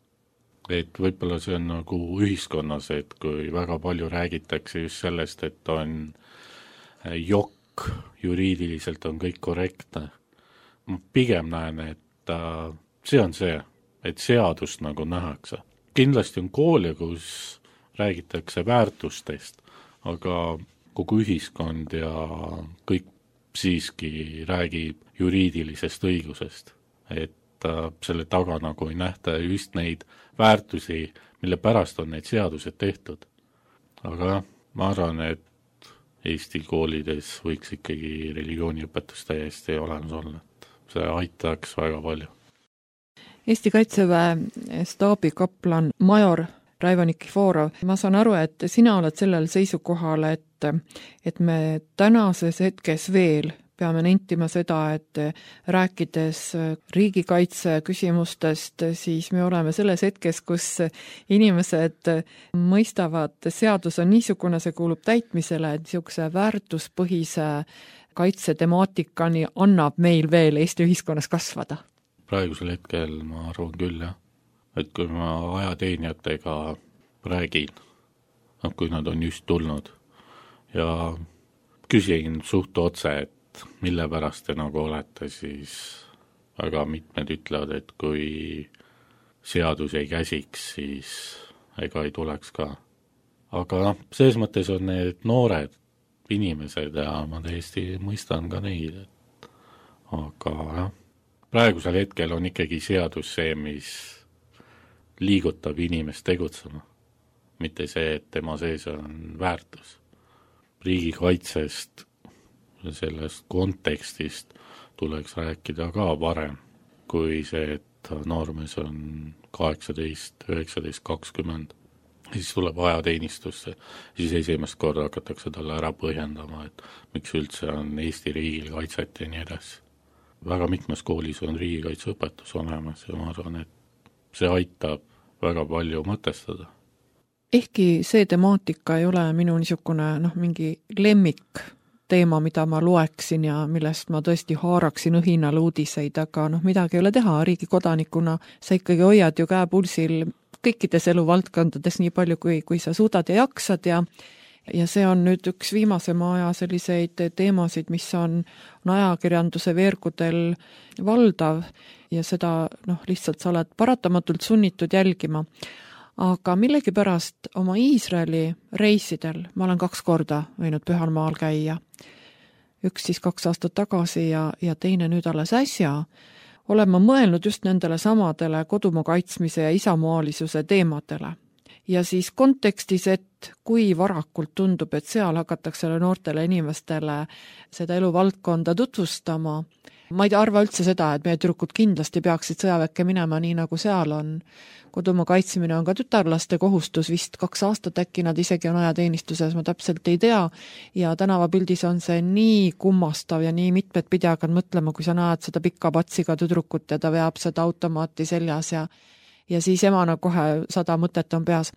Et võib-olla see on nagu ühiskonnas, et kui väga palju räägitakse just sellest, et on jokk, juriidiliselt on kõik korrektne. Ma pigem näen, et see on see, et seadust nagu nähakse. Kindlasti on koole, kus räägitakse väärtustest, aga kogu ühiskond ja kõik siiski räägib juriidilisest õigusest. Et selle taga nagu ei nähta just neid väärtusi, mille pärast on need seadused tehtud. Aga ma arvan, et Eesti koolides võiks ikkagi religiooniõpetus täiesti olemas olla, et see aitaks väga palju. Eesti Kaitseväe staabikaplan major Raivo Nikiforov, ma saan aru, et sina oled sellel seisukohal, et me tänases hetkes veel peame nentima seda, et rääkides riigikaitse küsimustest, siis me oleme selles hetkes, kus inimesed mõistavad, seadus on niisugune, see kuulub täitmisele, et niisuguse väärtuspõhise kaitsetemaatikani annab meil veel Eesti ühiskonnas kasvada. Praegusel hetkel ma arvan küll, jah. Et kui ma ajateenijatega räägin, kui nad on just tulnud ja küsin suht otse, et mille pärast te nagu olete, siis väga mitmed ütlevad, et kui seadus ei käsiks, siis ega ei tuleks ka. Aga selles mõttes on need noored inimesed ja ma täiesti mõistan ka neid. Aga jah, praegusel hetkel on ikkagi seadus see, mis liigutab inimest tegutsema. Mitte see, et tema sees on väärtus. Riigikaitsest sellest kontekstist tuleks rääkida ka varem, kui see, et noormees on 18, 19, 20, siis tuleb ajateenistusse, siis esimest korda hakatakse talle ära põhjendama, et miks üldse on Eesti riigil kaitset ja nii edasi. Väga mitmes koolis on riigikaitseõpetus olemas ja ma arvan, et see aitab väga palju mõtestada. Ehkki see temaatika ei ole minu niisugune mingi lemmik teema, mida ma loeksin ja millest ma tõesti haaraksin õhinal uudiseid, aga midagi ei ole teha, riigi kodanikuna sa ikkagi hoiad ju käepulsil kõikides eluvaldkondades nii palju, kui sa suudad ja jaksad ja see on nüüd üks viimasema aja selliseid teemasid, mis on ajakirjanduse veergudel valdav ja seda lihtsalt sa oled paratamatult sunnitud jälgima. Aga millegipärast oma Iisraeli reisidel, ma olen 2 korda võinud Pühal maal käia, üks siis 2 aastat tagasi ja teine nüüd alles äsja, olen ma mõelnud just nendele samadele kodumaa kaitsmise ja isamaalisuse teemadele. Ja siis kontekstis, et kui varakult tundub, et seal hakatakse noortele inimestele seda eluvaldkonda tutvustama. Ma ei arva üldse seda, et meie tüdrukud kindlasti peaksid sõjaväkke minema nii, nagu seal on. Kodumaa kaitsmine on ka tütarlaste kohustus, vist 2 aastat äkki nad isegi on ajateenistuses, ma täpselt ei tea. Ja tänavapildis on see nii kummastav ja nii mitmed pidi hakkad mõtlema, kui sa näed seda pikka patsiga tüdrukut ja ta veab seda automaati seljas ja siis emana kohe 100 mõtet on peas.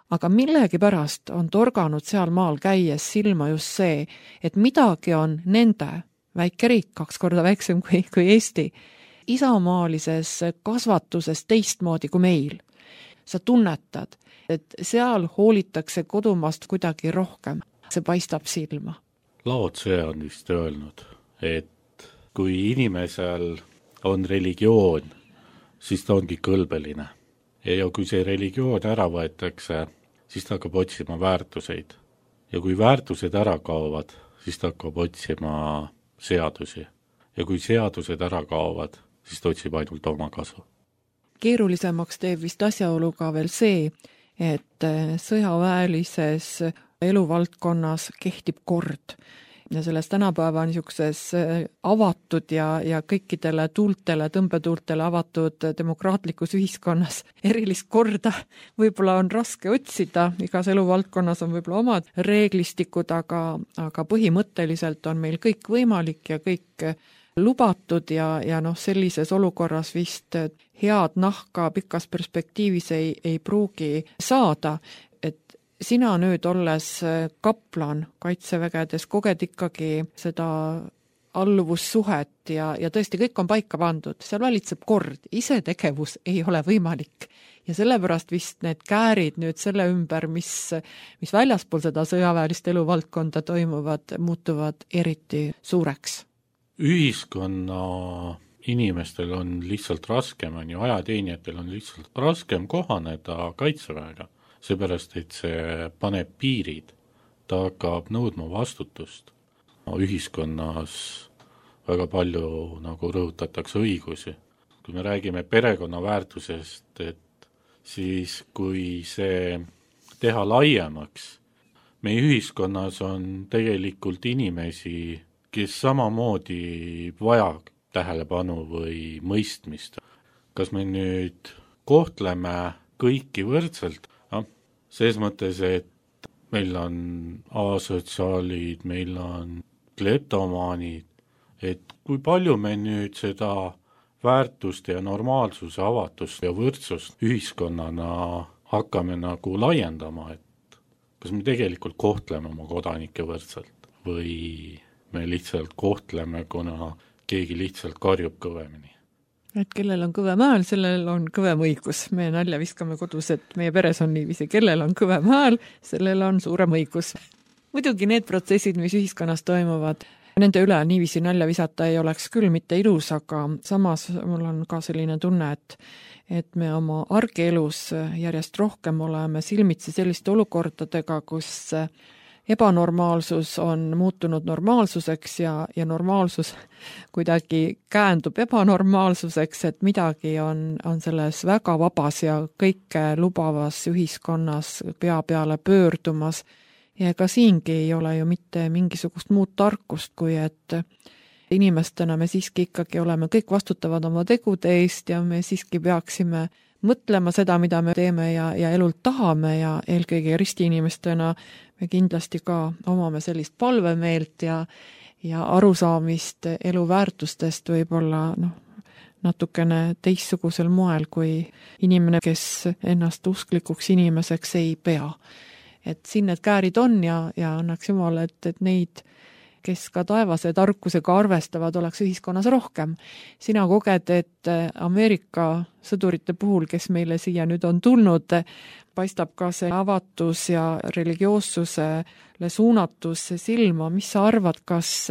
Aga millegipärast on torganud seal maal käies silma just see, et midagi on nende väike riik, 2 korda väiksem kui Eesti, isamaalises kasvatuses teistmoodi kui meil. Sa tunnetad, et seal hoolitakse kodumaast kuidagi rohkem. See paistab silma. Lao Tse on vist öelnud, et kui inimesel on religioon, siis ta ongi kõlbeline. Ja kui see religioon ära võetakse, siis ta hakkab otsima väärtuseid. Ja kui väärtused ära kaovad, siis ta hakkab otsima seadusi. Ja kui seadused ära kaovad, siis ta otsib ainult oma kasu. Keerulisemaks teeb vist asjaolu ka veel see, et sõjaväelises eluvaldkonnas kehtib kord. Ja selles tänapäeva niisuguses avatud ja kõikidele tuultele, tõmbetuultele avatud demokraatlikus ühiskonnas erilist korda võib-olla on raske otsida, igas eluvaldkonnas on võib-olla omad reeglistikud, aga põhimõtteliselt on meil kõik võimalik ja kõik lubatud ja sellises olukorras vist head nahka pikas perspektiivis ei pruugi saada. Sina nüüd olles kaplan kaitsevägedes koged ikkagi seda alluvussuhet ja tõesti kõik on paika pandud, seal valitseb kord, ise tegevus ei ole võimalik. Ja sellepärast vist need käärid nüüd selle ümber, mis väljaspool seda sõjaväelist eluvaldkonda toimuvad, muutuvad eriti suureks. Ühiskonna inimestel on lihtsalt raskem, ajateenijatel on lihtsalt raskem kohaneda kaitseväega. Seepärast, et see paneb piirid, ta hakkab nõudma vastutust. Ühiskonnas väga palju rõhutatakse õigusi. Kui me räägime perekonna väärtusest, et siis kui see teha laiemaks, meie ühiskonnas on tegelikult inimesi, kes samamoodi vajab tähelepanu või mõistmist. Kas me nüüd kohtleme kõiki võrdselt? Selles mõttes, et meil on asotsiaalid, meil on kleptomaanid, et kui palju me nüüd seda väärtust ja normaalsuse avatust ja võrdsust ühiskonnana hakkame laiendama, et kas me tegelikult kohtleme oma kodanikke võrdselt või me lihtsalt kohtleme, kuna keegi lihtsalt karjub kõvemini. Et kellel on kõvem hääl, sellel on kõvem õigus. Me nalja viskame kodus, et meie peres on niiviisi, kellel on kõvem hääl, sellel on suurem õigus. Muidugi need protsessid, mis ühiskonnas toimuvad, nende üle niiviisi nalja visata ei oleks küll mitte ilus, aga samas mul on ka selline tunne, et me oma argielus järjest rohkem oleme silmitsi selliste olukordadega, kus ebanormaalsus on muutunud normaalsuseks ja normaalsus kuidagi käändub ebanormaalsuseks, et midagi on selles väga vabas ja kõike lubavas ühiskonnas pea peale pöördumas. Ja ka siingi ei ole ju mitte mingisugust muud tarkust, kui et inimestena me siiski ikkagi oleme kõik vastutavad oma tegude eest ja me siiski peaksime mõtlema seda, mida me teeme ja elult tahame ja eelkõige ristiinimestena me kindlasti ka omame sellist palvemeelt ja arusaamist elu väärtustest võib-olla natukene teistsugusel moel kui inimene, kes ennast usklikuks inimeseks ei pea. Et siin need käärid on ja annaks Jumal, et neid, kes ka taevase tarkusega arvestavad, oleks ühiskonnas rohkem. Sina koged, et Ameerika sõdurite puhul, kes meile siia nüüd on tulnud, paistab ka see avatus ja religioossusele suunatus silma. Mis sa arvad, kas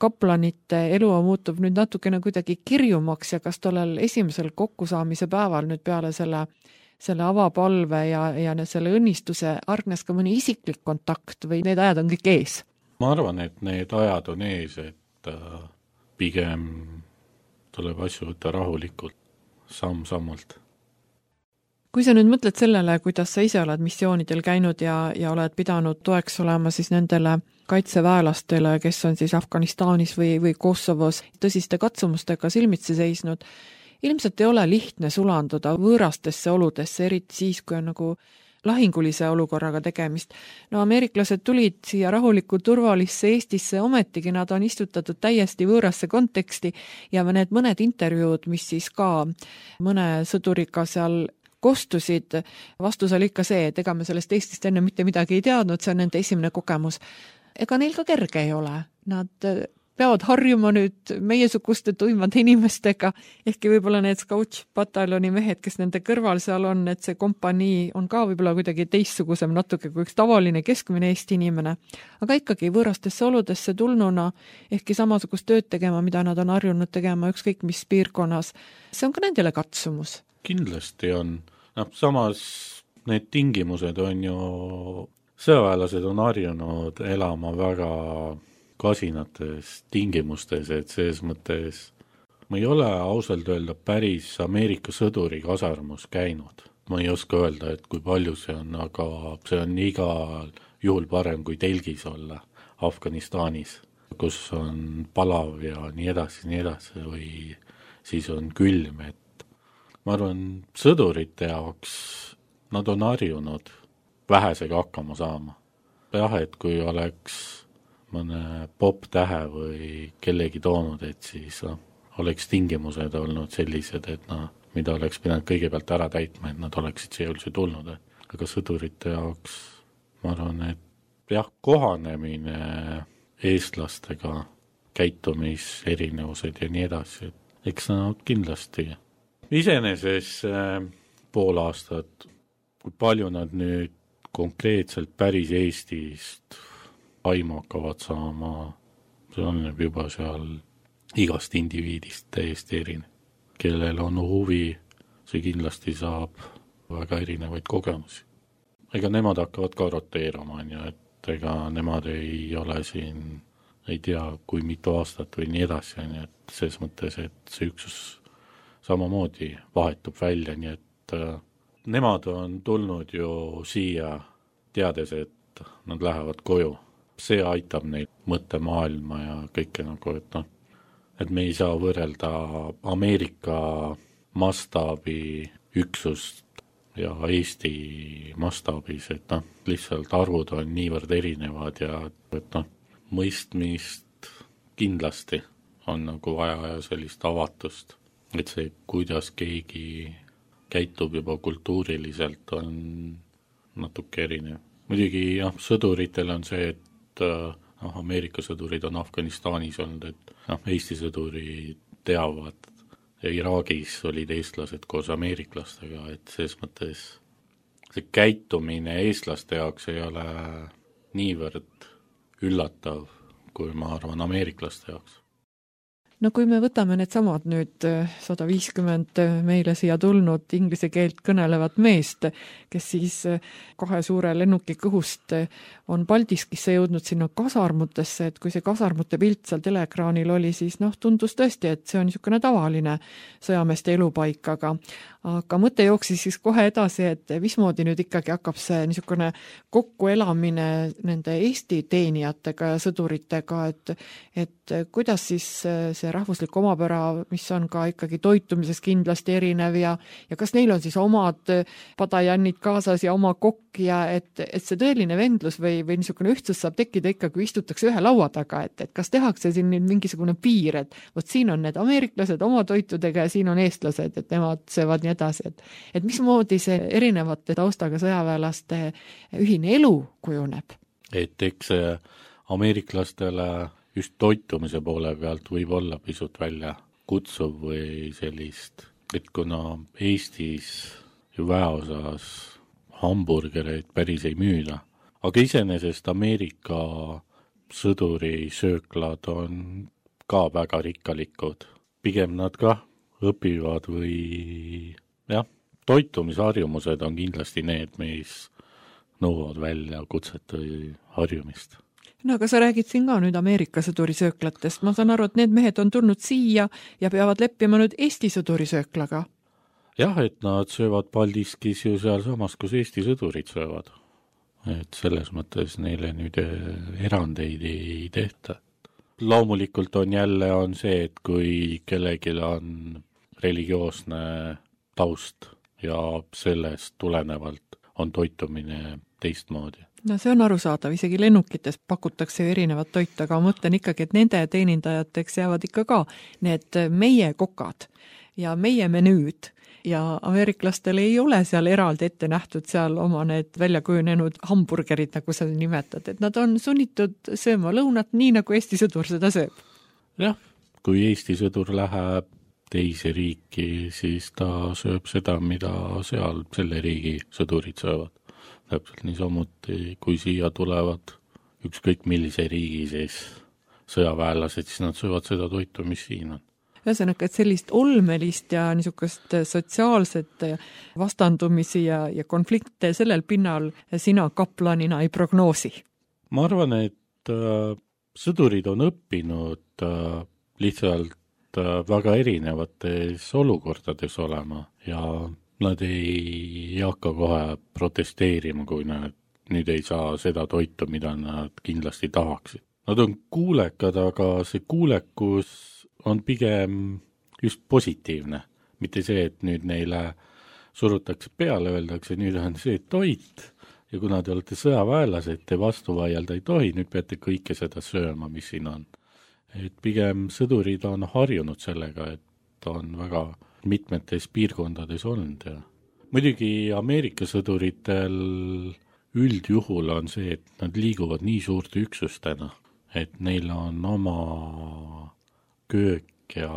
kaplanite elu muutub nüüd natukene kuidagi kirjumaks ja kas tollel esimesel kokkusaamise päeval nüüd peale selle avapalve ja selle õnnistuse argnes ka mõni isiklik kontakt või need ajad on kõik ees? Ma arvan, et need ajad on ees, et pigem tuleb asju võtta rahulikult, samm-sammult. Kui sa nüüd mõtled sellele, kuidas sa ise oled missioonidel käinud ja oled pidanud toeks olema siis nendele kaitseväelastele, kes on siis Afganistanis või Kosovos tõsiste katsumustega silmitsi seisnud, ilmselt ei ole lihtne sulanduda võõrastesse oludesse, eriti siis, kui on lahingulise olukorraga tegemist. Ameeriklased tulid siia rahulikku turvalisse Eestisse, ometigi nad on istutatud täiesti võõrasse konteksti ja need mõned intervjuud, mis siis ka mõne sõduriga seal kostusid, vastus oli ikka see, et ega me sellest Eestist enne mitte midagi ei teadnud, see on nende esimene kogemus. Ega neil ka kerge ei ole. Nad peavad harjuma nüüd meiesuguste tuimade inimestega, ehkki võib-olla need Scout-pataljoni mehed, kes nende kõrval seal on, et see kompanii on ka võib-olla kuidagi teistsugusem natuke kui üks tavaline keskmine Eesti inimene. Aga ikkagi võõrastesse oludesse tulnuna, ehkki samasugust tööd tegema, mida nad on harjunud tegema ükskõik mis piirkonnas, see on ka nendele katsumus. Kindlasti on. Samas need tingimused on ju, sõjaväelased on harjunud elama väga kasinates tingimustes, et selles mõttes ma ei ole ausalt öelda päris Ameerika sõduri kasarmus käinud. Ma ei oska öelda, et kui palju see on, aga see on igal juhul parem kui telgis olla Afganistanis, kus on palav ja nii edasi, või siis on külm, et ma arvan, sõdurite jaoks nad on harjunud vähesega hakkama saama. Jah, et kui oleks mõne pop-tähe või kellegi toonud, et siis oleks tingimused olnud sellised, et mida oleks pidanud kõigepealt ära täitma, et nad oleksid siia üldse tulnud. Aga sõdurite jaoks ma arvan, et jah, kohanemine eestlastega, käitumiserinevused ja nii edasi, eks kindlasti. Iseeneses pool aastat, kui palju nad nüüd konkreetselt päris Eestist aimu hakkavad saama, see on juba seal igast indiviidist täiesti erinev. Kellel on huvi, see kindlasti saab väga erinevaid kogemusi. Ega nemad hakkavad ka roteerama, et ega nemad ei ole siin, ei tea, kui mitu aastat või nii edasi, et selles mõttes, et see üksus samamoodi vahetub välja, nii et nemad on tulnud ju siia teades, et nad lähevad koju. See aitab neid mõttemaailma ja kõike et me ei saa võrrelda Ameerika mastaabi üksust ja Eesti mastaabis, et lihtsalt arvud on niivõrd erinevad ja et mõistmist kindlasti on vaja ja sellist avatust, et see, kuidas keegi käitub juba kultuuriliselt, on natuke erinev. Muidugi sõduritel on see, et Ameerika sõdurid on Afganistanis olnud, et Eesti sõdurid teavad, ja Iraagis olid eestlased koos ameeriklastega, et selles mõttes see käitumine eestlaste jaoks ei ole niivõrd üllatav, kui ma arvan ameeriklaste jaoks. No kui me võtame need samad nüüd 150 meile siia tulnud inglise keelt kõnelevat meest, kes siis 2 suure lennuki kõhust on Paldiskisse jõudnud sinna kasarmutesse, et kui see kasarmute pilt seal teleekraanil oli, siis tundus tõesti, et see on niisugune tavaline sõjameeste elupaik, aga mõte jooksis siis kohe edasi, et mismoodi nüüd ikkagi hakkab see niisugune kokkuelamine nende Eesti teenijatega ja sõduritega, et kuidas siis see rahvuslik omapära, mis on ka ikkagi toitumises kindlasti erinev ja kas neil on siis omad padajannid kaasas ja oma kokk ja et see tõeline vendlus või niisugune ühtsus saab tekkida ikka, kui istutakse ühe laua taga, et kas tehakse siin nüüd mingisugune piir, et vot siin on need ameeriklased oma toitudega ja siin on eestlased, et nemad söövad nii edasi, et mismoodi see erinevate taustaga sõjaväelaste ühine elu kujuneb? Et eks ameeriklastele just toitumise poole pealt võib olla pisut välja kutsuv või sellist, et kuna Eestis ju väeosas hamburgereid päris ei müüda, aga iseenesest Ameerika sõdurisööklad on ka väga rikkalikud. Pigem nad ka õpivad või toitumisharjumused on kindlasti need, mis nõuavad välja kutset või harjumist. No aga sa räägid siin ka nüüd Ameerika sõdurisööklatest. Ma saan aru, et need mehed on tulnud siia ja peavad leppima nüüd Eesti sõdurisööklaga. Jah, et nad söövad Paldiskis ju seal samas, kus Eesti sõdurid söövad. Et selles mõttes neile nüüd erandeid ei tehta. Loomulikult on jälle see, et kui kellelgi on religioosne taust ja sellest tulenevalt on toitumine teistmoodi. No see on arusaadav, isegi lennukites pakutakse erinevat toitu, aga ma mõtlen ikkagi, et nende teenindajateks jäävad ikka ka need meie kokad ja meie menüüd ja ameeriklastel ei ole seal eraldi ette nähtud seal oma need väljakujunenud hamburgerid, nagu sa nimetad, et nad on sunnitud sööma lõunat nii, nagu Eesti sõdur seda sööb. jah, kui Eesti sõdur läheb teise riiki, siis ta sööb seda, mida seal selle riigi sõdurid söövad. Täpselt niisamuti, kui siia tulevad ükskõik millise riigi siis sõjaväelased, siis nad söövad seda toitu, mis siin on. Ühesõnaga, et sellist olmelist ja niisugust sotsiaalset vastandumisi ja konflikte sellel pinnal sina kaplanina ei prognoosi? Ma arvan, et sõdurid on õppinud lihtsalt väga erinevates olukordades olema ja nad ei hakka kohe protesteerima, kui nad nüüd ei saa seda toitu, mida nad kindlasti tahaksid. Nad on kuulekad, aga see kuulekus on pigem just positiivne. Mitte see, et nüüd neile surutakse peale, öeldakse, nüüd on see toit ja kuna te olete sõjaväelased, te vastu vaielda ei tohi, nüüd peate kõike seda sööma, mis siin on. Et pigem sõdurid on harjunud sellega, et on väga mitmetes piirkondades olnud ja muidugi Ameerika sõduritel üldjuhul on see, et nad liiguvad nii suurte üksustena, et neil on oma köök ja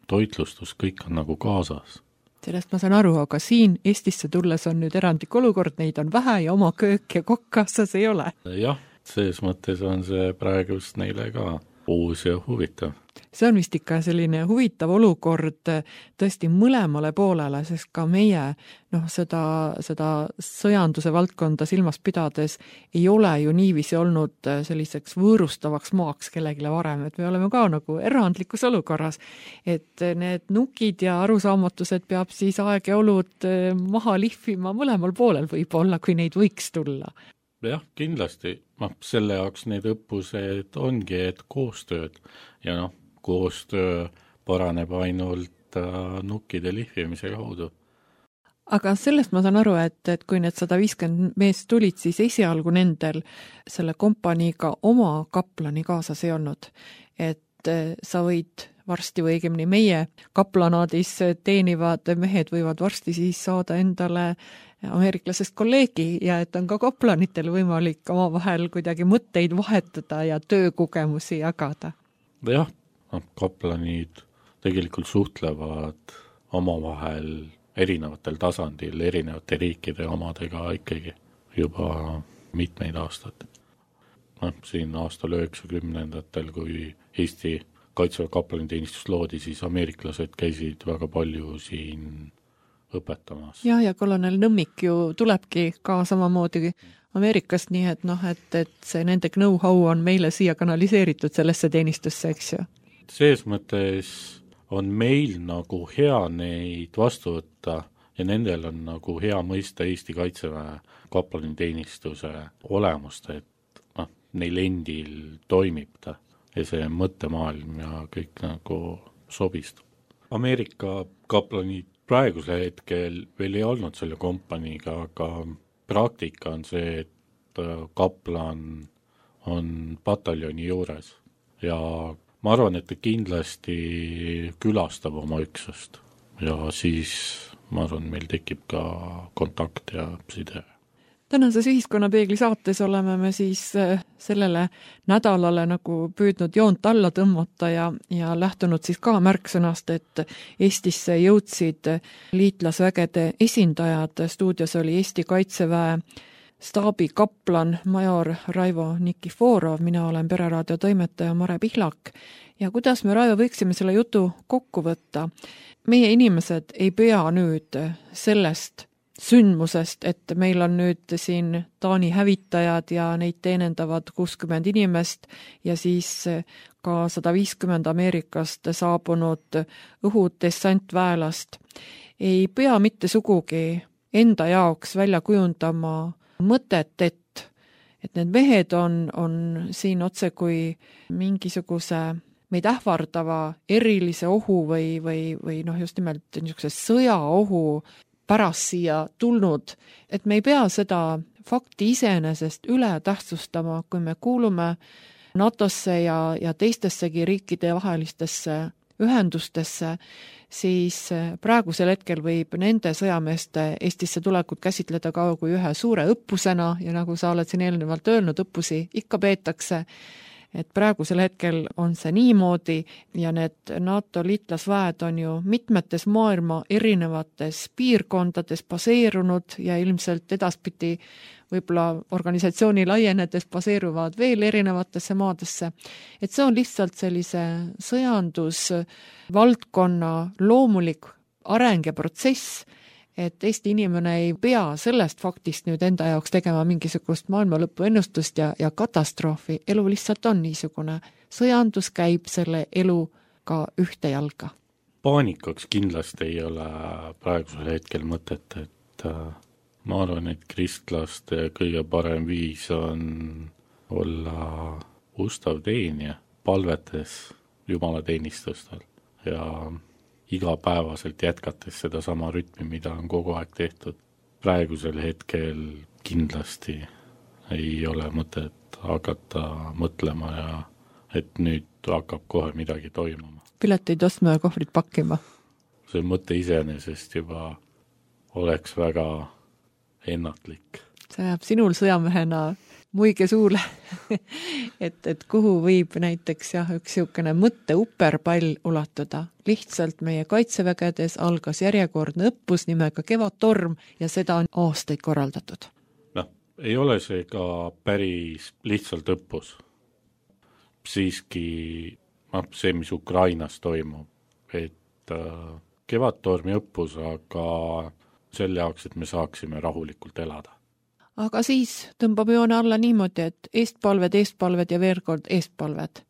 toitlustus, kõik on nagu kaasas. Sellest ma saan aru, aga siin Eestisse tulles on nüüd erandlik olukord, neid on vähe ja oma köök ja kokk kaasas ei ole. Jah, selles mõttes on see praegust neile ka uus ja huvitav. See on vist ikka selline huvitav olukord tõesti mõlemale poolele, sest ka meie seda sõjanduse valdkonda silmas pidades ei ole ju niiviisi olnud selliseks võõrustavaks maaks kellegile varem, et me oleme ka nagu erandlikus olukorras, et need nukid ja arusaamatused peab siis aeg ja olud maha lihvima mõlemal poolel võib-olla, kui neid võiks tulla. Jah, kindlasti. Selle jaoks need õppused ongi, et koostööd ja koostöö paraneb ainult nukkide lihvimise kaudu. Aga sellest ma saan aru, et kui need 150 meest tulid, siis esialgu nendel selle kompaniiga oma kaplani kaasas ei olnud. Et sa võid varsti või õigemini meie kaplanaadis teenivad mehed võivad varsti siis saada endale ameeriklasest kolleegi ja et on ka kaplanitel võimalik omavahel kuidagi mõtteid vahetada ja töökogemusi jagada. Jah, kaplanid tegelikult suhtlevad omavahel erinevatel tasandil, erinevate riikide omadega ikkagi juba mitmeid aastaid. Siin aastal 90-ndatel, kui Eesti Kaitseväe kaplaniteenistus loodi, siis ameeriklased käisid väga palju siin õpetamas. Ja kolonel Nõmmik ju tulebki ka samamoodi Ameerikast, nii et see nende know-how on meile siia kanaliseeritud sellesse teenistusse, eks ju? Selles mõttes on meil nagu hea neid vastu võtta ja nendel on nagu hea mõista Eesti Kaitseväe kaplaniteenistuse olemust, et neil endil toimib ta ja see mõttemaailm ja kõik nagu sobistub. Ameerika kaplanid praegusel hetkel veel ei olnud selle kompaniiga, aga praktika on see, et kaplan on pataljoni juures ja ma arvan, et ta kindlasti külastab oma üksust ja siis ma arvan, meil tekib ka kontakt ja side. Tänases Ühiskonnapeegli saates oleme me siis sellele nädalale nagu püüdnud joont alla tõmmata ja lähtunud siis ka märksõnast, et Eestisse jõudsid liitlasvägede esindajad. Stuudios oli Eesti Kaitseväe staabi kaplan major Raivo Nikiforov, mina olen Pereraadio toimetaja Mare Pihlak ja kuidas me, Raivo, võiksime selle jutu kokku võtta? Meie inimesed ei pea nüüd sellest sündmusest, et meil on nüüd siin Taani hävitajad ja neid teenendavad 60 inimest ja siis ka 150 Ameerikast saabunud õhudessantväelast. Ei pea mitte sugugi enda jaoks välja kujundama mõtet, et need mehed on siin otse kui mingisuguse meid ähvardava erilise ohu või just nimelt niisuguse sõjaohu pärast siia tulnud, et me ei pea seda fakti iseenesest üle tähtsustama, kui me kuulume NATO-sse ja teistessegi riikide vahelistesse ühendustesse, siis praegusel hetkel võib nende sõjameeste Eestisse tulekut käsitleda ka kui ühe suure õppusena ja nagu sa oled siin eelnevalt öelnud, õppusi ikka peetakse, et praegusel hetkel on see niimoodi ja need NATO liitlasväed on ju mitmetes maailma erinevates piirkondades baseerunud ja ilmselt edaspidi võib-olla organisatsiooni laienedes baseeruvad veel erinevatesse maadesse. Et see on lihtsalt sellise sõjandusvaldkonna loomulik areng ja protsess, et Eesti inimene ei pea sellest faktist nüüd enda jaoks tegema mingisugust maailmalõpu ennustust ja katastroofi. Elu lihtsalt on niisugune. Sõjandus käib selle eluga ühte jalga. Paanikaks kindlasti ei ole praegusel hetkel mõtet, et ma arvan, et kristlaste kõige parem viis on olla ustav teenija, palvetes jumalateenistustel ja igapäevaselt jätkates seda sama rütmi, mida on kogu aeg tehtud. Praegusel hetkel kindlasti ei ole mõtet hakata mõtlema ja et nüüd hakkab kohe midagi toimuma. Pileteid ostma ja kohvrid pakkima. See mõte iseenesest juba oleks väga ennatlik. See jääb sinul sõjamehena muige suule, et kuhu võib näiteks üks niisugune mõtte uperpall ulatuda. Lihtsalt meie kaitsevägedes algas järjekordne õppus nimega Kevadtorm ja seda on aastaid korraldatud. Ei ole see ka päris lihtsalt õppus. Siiski see, mis Ukrainas toimub, et Kevadtormi õppus, aga selle jaoks, et me saaksime rahulikult elada. Aga siis tõmbab joone alla niimoodi, et eestpalved ja veel kord eestpalved.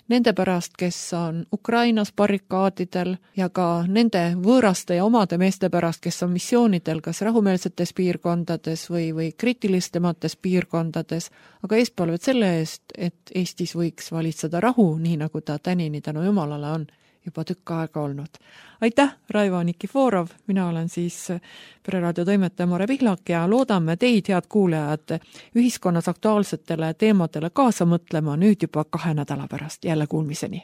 Nende pärast, kes on Ukrainas barrikaadidel ja ka nende võõraste ja omade meeste pärast, kes on missioonidel kas rahumeelsetes piirkondades või kriitilistemates piirkondades, aga eestpalved selle eest, et Eestis võiks valitseda rahu, nii nagu ta tänini tänu Jumalale on juba tükk aega olnud. Aitäh, Raivo Nikiforov, mina olen siis Pereraadio toimetaja Mare Pihlak ja loodame teid, head kuulajad, ühiskonnas aktuaalsetele teemadele kaasa mõtlema nüüd juba 2 nädala pärast. Jälle kuulmiseni!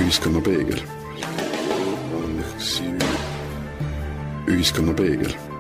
Ühiskonnapeegel. Ühiskonnapeegel.